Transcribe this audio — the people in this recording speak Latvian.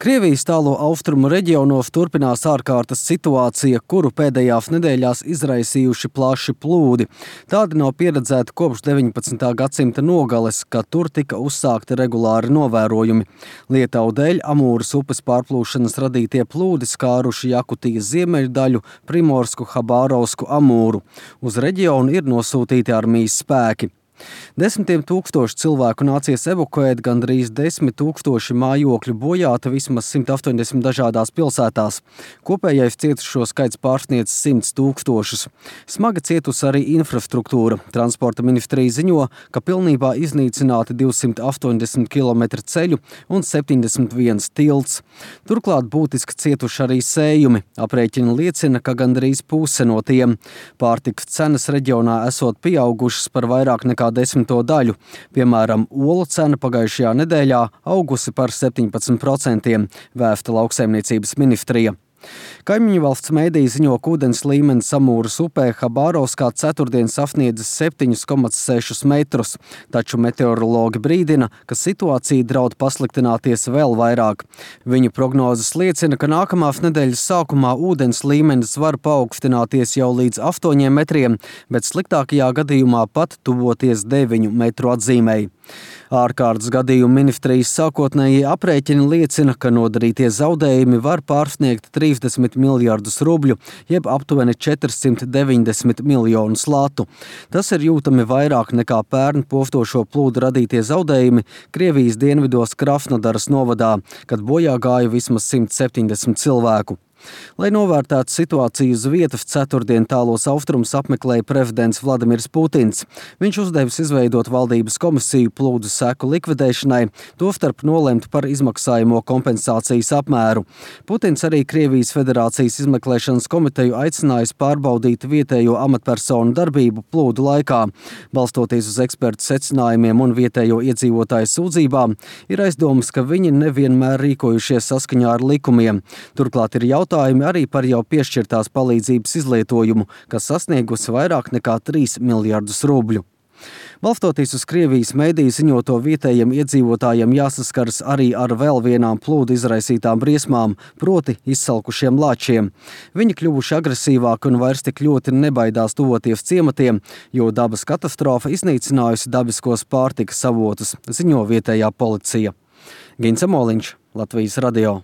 Krievijas tālo austrumu reģionos turpinās ārkārtas situācija, kuru pēdējās nedēļās izraisījuši plaši plūdi. Tādi nav pieredzēti kopš 19. gadsimta nogales, kad tur tika uzsākti regulāri novērojumi. Lietau dēļ Amūras upes pārplūšanas radītie plūdi skāruši Jakutijas ziemeļdaļu, Primorsku, Habārovsku, Amūru. Uz reģionu ir nosūtīti armijas spēki. Desmitiem tūkstoši cilvēku nācies evakuēt, gandrīz 10 000 mājokļu bojāti vismaz 180 dažādās pilsētās. Kopējais cietušo skaits pārsniedz 100 000. Smagi cietusi arī infrastruktūra. Transporta ministrija ziņo, ka pilnībā iznīcināti 280 km ceļu un 71 tilts. Turklāt būtiski cietuši arī sējumi. Aprēķini liecina, ka gandrīz puse no tiem. Pārtikas cenas reģionā esot pieaugušas par vairāk nekā 10 daļu. Piemēram, olu cena pagājušajā nedēļā augusi par 17%, vēsta lauksaimniecības ministrija. Kaimiņu valsts mēdī ziņo, ka ūdens līmenis Amūras upē Habārovskā ceturtdien sasniedzis 7,6 metrus, taču meteorologi brīdina, ka situācija draud pasliktināties vēl vairāk. Viņu prognozes liecina, ka nākamās nedēļas sākumā ūdens līmenis var paaugstināties jau līdz 8 metriem, bet sliktākajā gadījumā pat tuvoties 9 metru atzīmei. Ārkārtas gadījumu ministrijas sākotnējie aprēķini liecina, ka nodarītie zaudējumi var pārsniegt 30 miljardus rubļu, jeb aptuveni 490 miljonus latu. Tas ir jūtami vairāk nekā pērn postošo plūdu radītie zaudējumi Krievijas dienvidos Krasnodaras novadā, kad bojā gāja vismaz 170 cilvēku. Lai novērtētu situāciju uz vietas, ceturtdien tālos austrumus apmeklēja prezidents Vladimirs Putins. Viņš uzdevis izveidot valdības komisiju plūdu seku likvidēšanai, tostarp nolemt par izmaksājamo kompensācijas apmēru. Putins arī Krievijas Federācijas izmeklēšanas komiteju aicinājis pārbaudīt vietējo amatpersonu darbību plūdu laikā. Balstoties uz ekspertu secinājumiem un vietējo iedzīvotāju sūdzībām, ir aizdomas, ka viņi nevienmēr rīkojušies saskaņā ar likumiem. Turklāt ir jautājumi arī par jau piešķirtās palīdzības izlietojumu, kas sasniegusi vairāk nekā 3 miljardus rubļu. Balstoties uz Krievijas mēdīju ziņoto, vietējiem iedzīvotājiem jāsaskaras arī ar vēl vienām plūdu izraisītām briesmām, proti izsalkušiem lāčiem. Viņi kļuvuši agresīvāki un vairs tik ļoti nebaidās tuvoties ciematiem, jo dabas katastrofa iznīcinājusi dabiskos pārtikas avotus, ziņo vietējā policija. Gins Amoliņš, Latvijas radio.